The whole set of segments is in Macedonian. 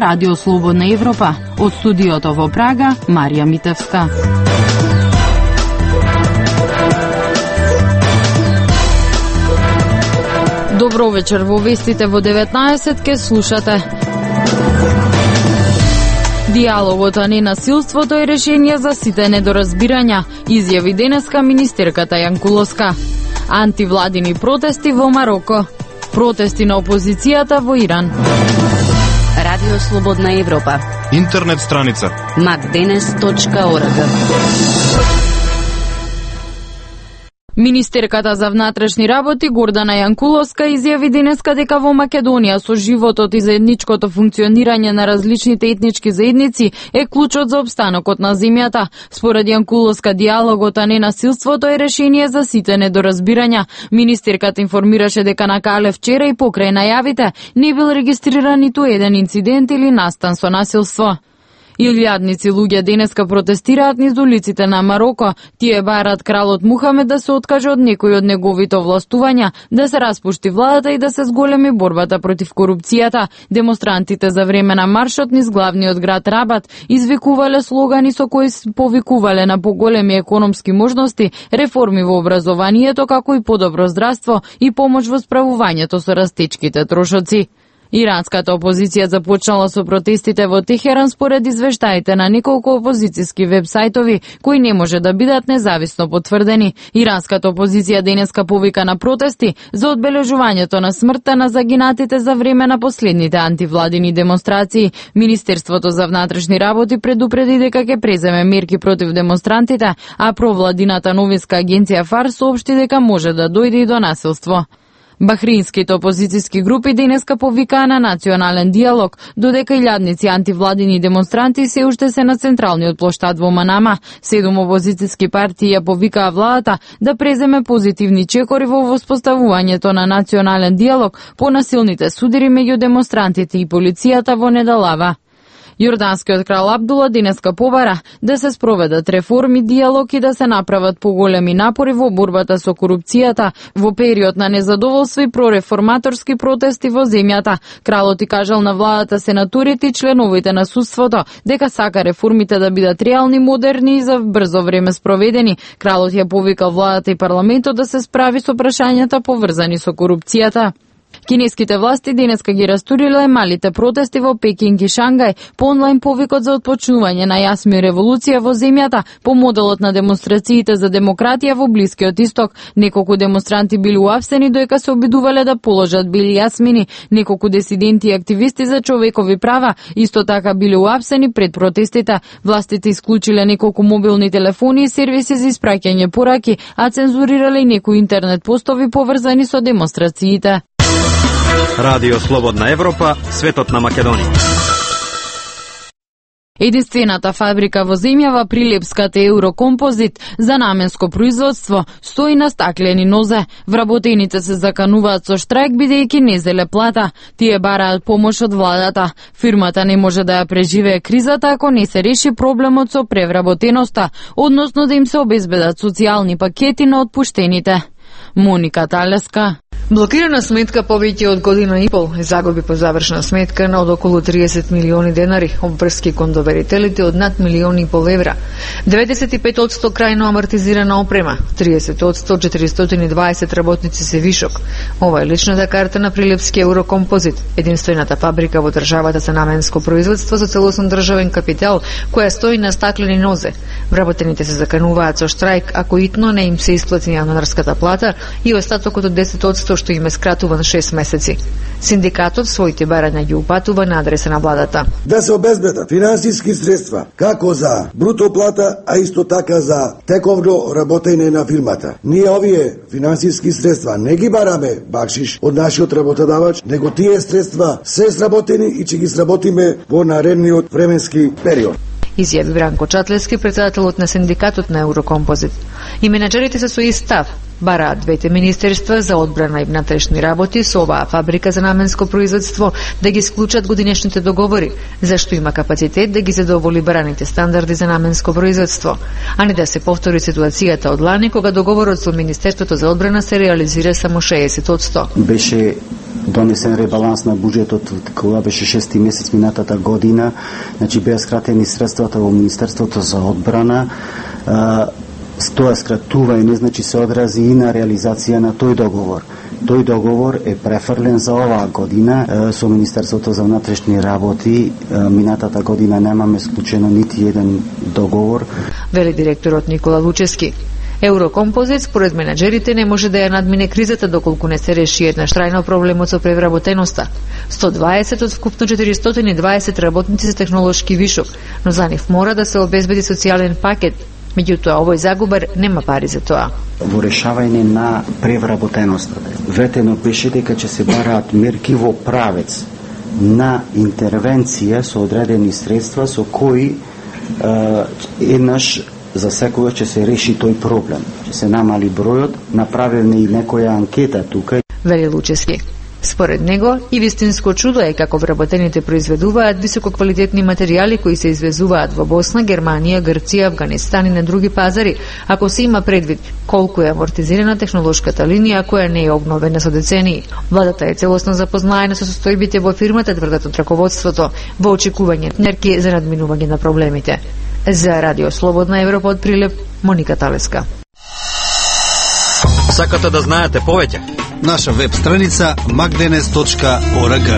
Радио Слободна Европа. Од студиото во Прага, Марија Митевска. Добро вечер, во вестите во 19 ке слушате. Диалогот, а не насилството е решение за сите недоразбирања, изјави денеска министерката Јанкуловска. Антивладини протести во Мароко. Протести на опозицијата во Иран. Радио Слободна Европа. Интернет страница macdenes.org. Министерката за внатрешни работи Гордана Јанкуловска изјави денеска дека во Македонија со животот и заедничкото функционирање на различните етнички заедници е клучот за опстанокот на земјата. Според Јанкуловска, диалогот, а не насилството е решение за сите недоразбирања. Министерката информираше дека на Кале вчера и покрај најавите не бил регистриран ниту еден инцидент или настан со насилство. Илјадници луѓе денеска протестираат низ улиците на Мароко. Тие бараат кралот Мухамед да се откаже од некои од неговите овластувања, да се распушти владата и да се зголеми борбата против корупцијата. Демонстрантите за време на маршот низ главниот град Рабат извикувале слогани со кои повикувале на поголеми економски можности, реформи во образованието, како и подобро здравство и помош во справувањето со растечките трошоци. Иранската опозиција започнала со протестите во Техеран според извештаите на неколку опозицијски вебсајтови кои не може да бидат независно потврдени. Иранската опозиција денеска повика на протести за одбележувањето на смртта на загинатите за време на последните антивладини демонстрации. Министерството за внатрешни работи предупреди дека ќе преземе мерки против демонстрантите, а провладината новинска агенција ФАР соопшти дека може да дојде и до насилство. Бахринските опозицијски групи денеска повикаа на национален диалог, додека илјадници антивладини демонстранти се уште се на централниот плоштад во Манама. 7 опозицијски партии ја повикаа владата да преземе позитивни чекори во воспоставувањето на национален диалог по насилните судири меѓу демонстрантите и полицијата во Недалава. Јорданскиот крал Абдула денеска побара да се спроведат реформи, диалог и да се направат поголеми напори во борбата со корупцијата во период на незадоволство и прореформаторски протести во земјата. Кралот и кажал на владата, сенаторите и членовите на судството дека сака реформите да бидат реални, модерни и за брзо време спроведени. Кралот ја повикал владата и парламентот да се справи со прашањата поврзани со корупцијата. Кинеските власти денеска ги растуриле малите протести во Пекинг и Шангај по онлайн повикот за отпочнување на јасми револуција во земјата по моделот на демонстрациите за демократија во Блискиот Исток. Неколку демонстранти били уапсени додека се обидувале да положат бели јасмини. Неколку дисиденти и активисти за човекови права исто така били уапсени пред протестите. Властите исклучиле неколку мобилни телефони и сервиси за испраќање пораки, а цензурирале и некои интернет постови поврзани со демонстрациите. Радио Слободна Европа, светот на Македонија. Единствената фабрика во земјава, Прилепската Еврокомпозит за наменско производство, стои на стаклени нозе. Вработените се закануваат со штрајк бидејќи не зеле плата. Тие бараат помош од владата. Фирмата не може да ја преживее кризата ако не се реши проблемот со превработеноста, односно да им се обезбедат социјални пакети на отпуштените. Моника Талеска. Блокирана сметка повеќе од година и пол и загуби по завршна сметка на од околу 30 милиони денари, обврски кон доверителите од над милиони и пол евра, 95% крајно амортизирана опрема, 30% 420 работници се вишок. Ова е личната карта на Прилепски Еврокомпозит, единствената фабрика во државата за наменско производство со целосно државен капитал, која стои на стаклени нозе. Вработените се закануваат со штрајк ако итно не им се исплати јануарската плата и остатокот од 10% што им е скратуван 6 месеци. Синдикатот своите барања ги упатува на адреса на владата. Да се обезбедат финансиски средства, како за бруто плата, а исто така за тековно работење на фирмата. Ние овие финансиски средства не ги бараме бакшиш од нашиот работодавач, него тие средства се сработени и ќе ги сработиме во наредниот временски период. Изјави Бранко Чатлески, председателот на синдикатот на Еврокомпозит. И менаџерите се со ист став. Бараат двете министерства за одбрана и внатрешни работи со оваа фабрика за наменско производство да ги склучат годинешните договори, зашто има капацитет да ги задоволи бараните стандарди за наменско производство, а не да се повтори ситуацијата од лани кога договорот со Министерството за одбрана се реализира само 60%. Беше донесен ребаланс на буџетот кога беше 6 месец минатата година, значи беа скратени средствата во Министерството за одбрана. Тоа скратување значи се одрази и на реализација на тој договор. Тој договор е префрлен за оваа година со Министерството за внатрешни работи. Минатата година немаме склучено нити еден договор. Вели директорот Никола Лучески. Еврокомпозит според менаџерите не може да ја надмине кризата доколку не се реши еднаш трајно проблемот со превработеноста. 120 од вкупно 420 работници се технолошки вишок, но за нив мора да се обезбеди социјален пакет. Меѓутоа, овој загубар нема пари за тоа. Во решавање на превработеноста, ветено беше дека ќе се бараат мерки во правец на интервенција со одредени средства со кои еднаш за секогаш ќе се реши тој проблем. Ќе се намали бројот, направена и некоја анкета тука. Вели Лучески. Според него, и вистинско чудо е како вработените произведуваат висококвалитетни материјали кои се извезуваат во Босна, Германија, Грција, Авганистан и на други пазари, ако се има предвид колку е амортизирана технолошката линија која не е обновена со децении. Владата е целосно запознаена со состојбите во фирмата, тврдат од раководството, во очекување мерки за надминување на проблемите. За Радио Слободна Европа од Прилеп, Моника Талеска. Сакате да знаете повеќе? Наша веб страница magdenes.org.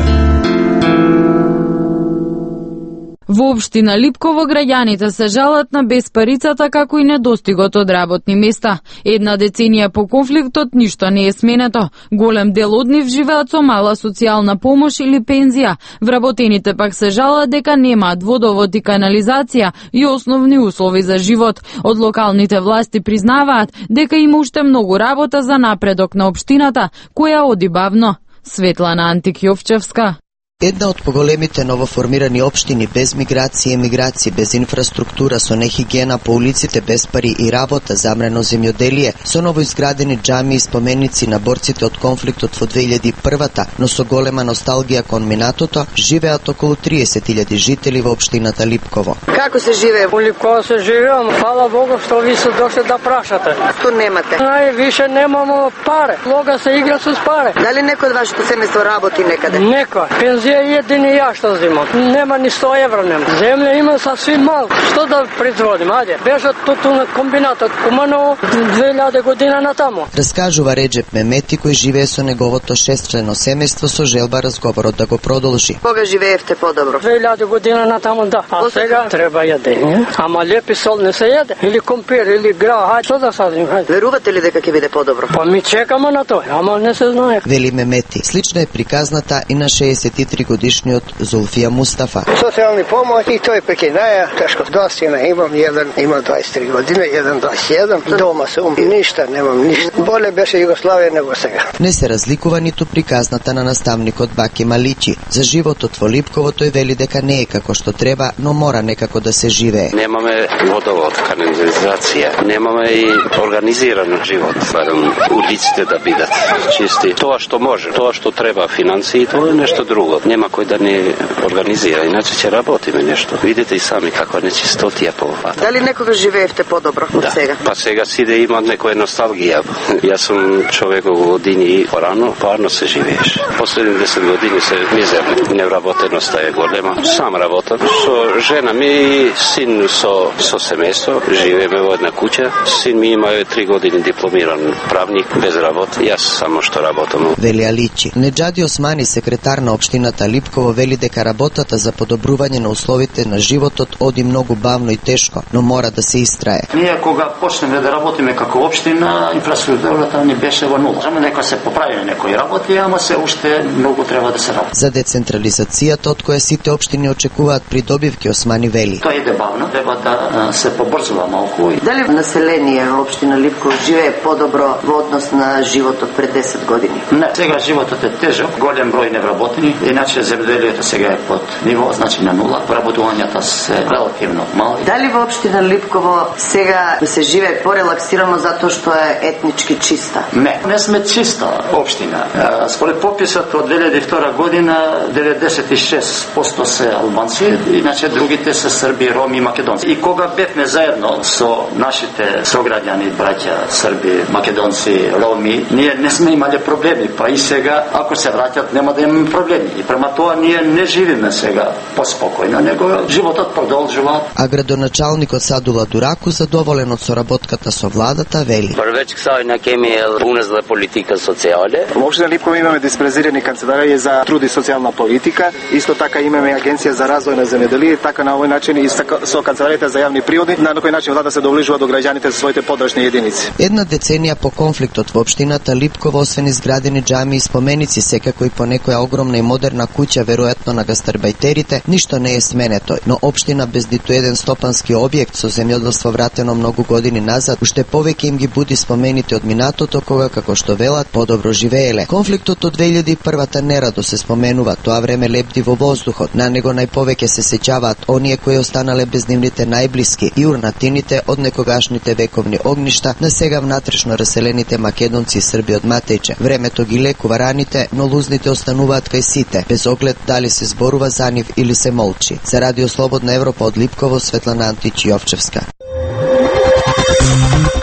Во општина Липково граѓаните се жалат на безпарицата како и недостигот од работни места. Една деценија по конфликтот ништо не е сменето. Голем дел од нив живеат со мала социјална помош или пензија. Вработените пак се жалат дека немаат водовод и канализација и основни услови за живот. Од локалните власти признаваат дека има уште многу работа за напредок на општината, која оди бавно. Светлана Антик-Јовчевска. Една од поголемите новоформирани општини без миграција, емиграција, без инфраструктура, со нехигиена по улиците, без пари и работа, замрено земјоделие, со новоизградени џами и споменици на борците од конфликтот во 2001-та, но со голема носталгија кон минатото, живеат околу 30.000 жители во општината Липково. Како се живее? Во Липково се живеам, фала Богу што ви се дошли да прашате. Ту немате? Највише немамо паре. Лога се игра со паре. Дали некој од вашето семејство работи некаде? Некој. Пензија едини ја што земам. Нема ни 100 евра нема. Земја има сасвим мал. Што да производим? Ајде. Беше туту на комбинатот Куманово 2000 година натаму. Раскажува Реджеп Мемети кој живее со неговото 6-члено семејство со желба разговорот да го продолжи. Кога живеевте подобро? 2000 година натаму, да. А сега треба јадење. Ама лепи сол не се јаде. Или компир, или гра. Хајде, што да садим? Хајде. Верувате ли дека ќе биде подобро? Па ми чекаме на тоа, ама не се знае. Вели Мемети. Слична е приказната и на 63-годишниот Зулфија Мустафа. Социјални помоќи и тој пекинаја, тешко достина имам, еден има 23 години, еден 21, дома сум, ништа немам, ништа. Боле беше Југославија него сега. Не се разликува ниту приказната на наставникот Баки Маличи. За животот во Липково тој вели дека не е како што треба, но мора некако да се живее. Немаме водовод, канализација, немаме и организиран живот, барем улиците да бидат чисти. Тоа што може, тоа што треба финансии, тоа е нешто друго. Нема кој да не организира, иначе ќе работиме нешто. Видите и сами како нечистотија по оваа. Дали некогаш живеевте подобро од сега? Па сега сиде има некоја носталгија. Јас сум човек во години и порано, парно се живееш. Последни 10 години се мизерно. Невработеноста е голема. Сам работам со жена ми и син со семејство. Живееме во една куќа. Син ми има 3 години дипломиран правник без работа. Јас само што работам. Вели Аличи. Неџади Османи, секретар на општината Липково, вели дека работата за подобрување на условите на животот оди многу бавно и тешко, но мора да се истрае. Ние кога почнеме да работиме како општина, инфраструктурата не беше во нула. Само дека се поправиле некои работи, ама се уште многу треба да се работи. За децентрализацијата од која сите општини очекуваат придобивки, Османи вели. Тоа иде бавно, треба да се побрзува малку. Дали население општина Липково живее подобро во однос на животот пред 10 години? Не, сега животот е тежок, голем број невработени, и Иначе земјоделието сега е под ниво, значи на нула. Вработувањата се релативно мали. Дали во општина Липково сега се живее порелаксирано затоа што е етнички чиста? Не сме чиста општина. Според пописот од 2002 година 96% се албанци, иначе другите се срби, роми и македонци. И кога бевме заедно со нашите сограѓани, браќа, срби, македонци, роми, ние не сме имале проблеми, па и сега ако се враќат нема да имаме проблеми. И према тоа ние не живиме сега поспокојно, него животот продолжува. А градоначалникот Садула Дураку, задоволен од соработката со владата, вели: Веќе сега на кеми е унезла политика социјале. Во општина Липково имаме диспрезирани канцеларија за труд и социјална политика, исто така имаме агенција за развој на земјоделие, така на овој начин и со канцеларијата за јавни приоди, на кој начин влада се доближува до граѓаните со своите подрачни единици. Една деценија по конфликтот во општината Липково, освен изградени џами и споменици, секако и по некоја огромна и модерна куќа, веројатно на гастарбајтерите, ништо не е сменето, но општина без ниту еден стопански објект со земјоделство вратено многу години назад, уште повеќе им ги буди спомените од минатото, кога, како што велат, подобро живееле. Конфликтот од 2001-та нерадо се споменува, тоа време лепди во воздухот, на него најповеќе се сеќаваат оние кои останале без нивните најблиски и урнатините од некогашните вековни огништа на сега внатрешно раселените македонци и срби од Матејче. Времето ги лекува раните, но лузните остануваат кај сите, без оглед дали се зборува за нив или се молчи. За Радио Слободна Европа од Липково, Светлана Антич Јовчевска.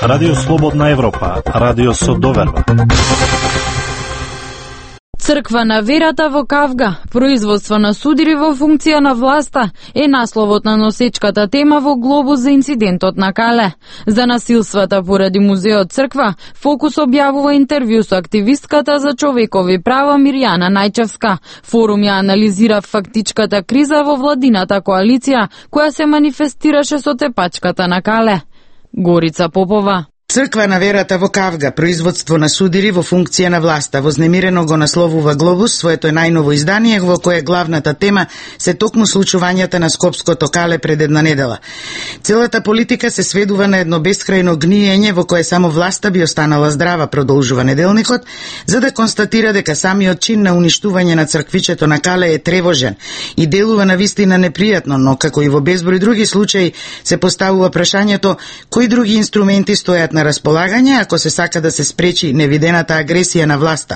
Радио Слободна Европа, радио со доверба. Црква на верата во Кавга, производство на судири во функција на власта, е насловот на носечката тема во Глобус за инцидентот на Кале. За насилствата поради музеот Црква, Фокус објавува интервју со активистката за човекови права Мирјана Најчевска. Форум ја анализира фактичката криза во владината коалиција, која се манифестираше со тепачката на Кале. Горица Попова. Црква на верата во Кавга, производство на судири во функција на власта, вознемирено го насловува Глобус своето најново издание, во кое главната тема се токму случувањата на Скопското Кале пред една недела. Целата политика се сведува на едно бескрајно гниење во кое само власта би останала здрава, продолжува неделникот, за да констатира дека самиот чин на уништување на црквичето на Кале е тревожен и делува на вистина непријатно, но како и во безброј други случаи се поставува прашањето кои други инструменти стојат на располагање ако се сака да се спречи невидената агресија на власта,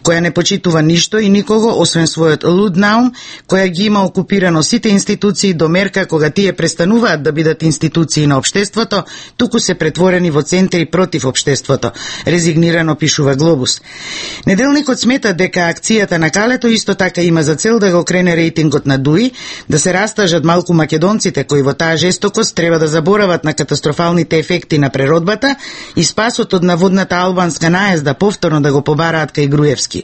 која не почитува ништо и никого освен својот луд наум, која ги има окупирано сите институции до мерка кога тие престануваат да бидат институции на општеството, туку се претворени во центри против општеството, резигнирано пишува Глобус. Неделникот смета дека акцијата на Калето исто така има за цел да го крене рейтингот на ДУИ, да се растажат малку македонците кои во таа жестокост треба да заборават на катастрофалните ефекти на преродбата и спасот од наводната албанска наезда повторно да го побараат кај Груевски.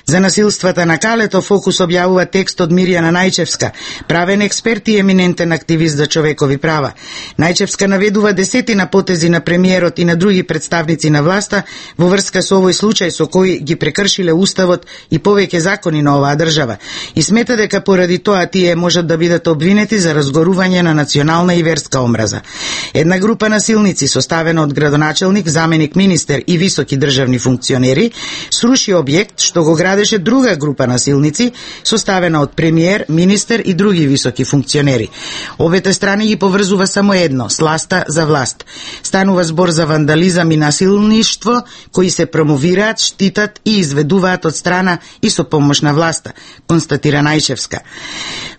За насилствата на Калето Фокус објавува текст од Мирјана Најчевска, правен експерт и еминентен активист за човекови права. Најчевска наведува десетина потези на премиерот и на други представници на власта во врска со овој случај со кој ги прекршиле уставот и повеќе закони на оваа држава и смета дека поради тоа тие можат да бидат обвинети за разгорување на национална и верска омраза. Една група насилници составена од градоначелник, заменик министер и високи државни функционери сруши објект што го градеше друга група насилници составена од премиер, министер и други високи функционери. Обете страни ги поврзува само едно – сласта за власт. Станува збор за вандализам и насилништво кои се промовираат, штитат и изведуваат од страна и со помош на власта, констатира Најчевска.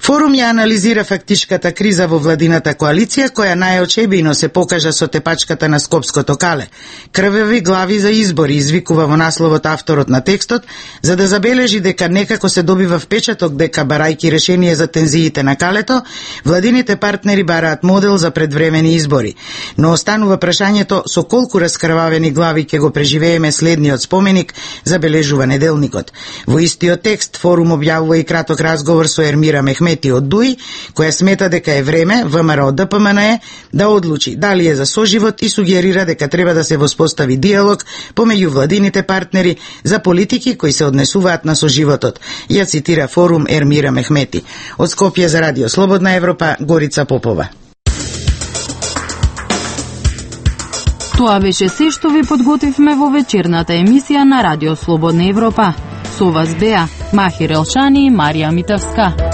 Форум ја анализира фактичката криза во владината коалиција која најочебино се покажа со тепачката на Скопското Кале. Крвеви глави за избори извикува во насловот авторот на текстот, за да забележи дека некако се добива впечаток дека барајки решение за тензиите на Калето, владините партнери бараат модел за предвремени избори. Но останува прашањето со колку раскрвавени глави ќе го преживееме следниот споменик, забележува неделникот. Во истиот текст Форум објавува и краток разговор со Ермира Мехмети од ДУИ, која смета дека е време ВМРО ДПМНЕ да одлучи дали е за соживот и сугерира дека треба да се воспостави диалог помеѓу владините партнери за политики кои се однесуваат на соживотот. Ја цитира Форум Ермира Мехмети. Од Скопје за Радио Слободна Европа, Горица Попова. Тоа беше се што ви подготвивме во вечерната емисија на Радио Слободна Европа. Со вас беа Махир Елшани, Марија Митевска.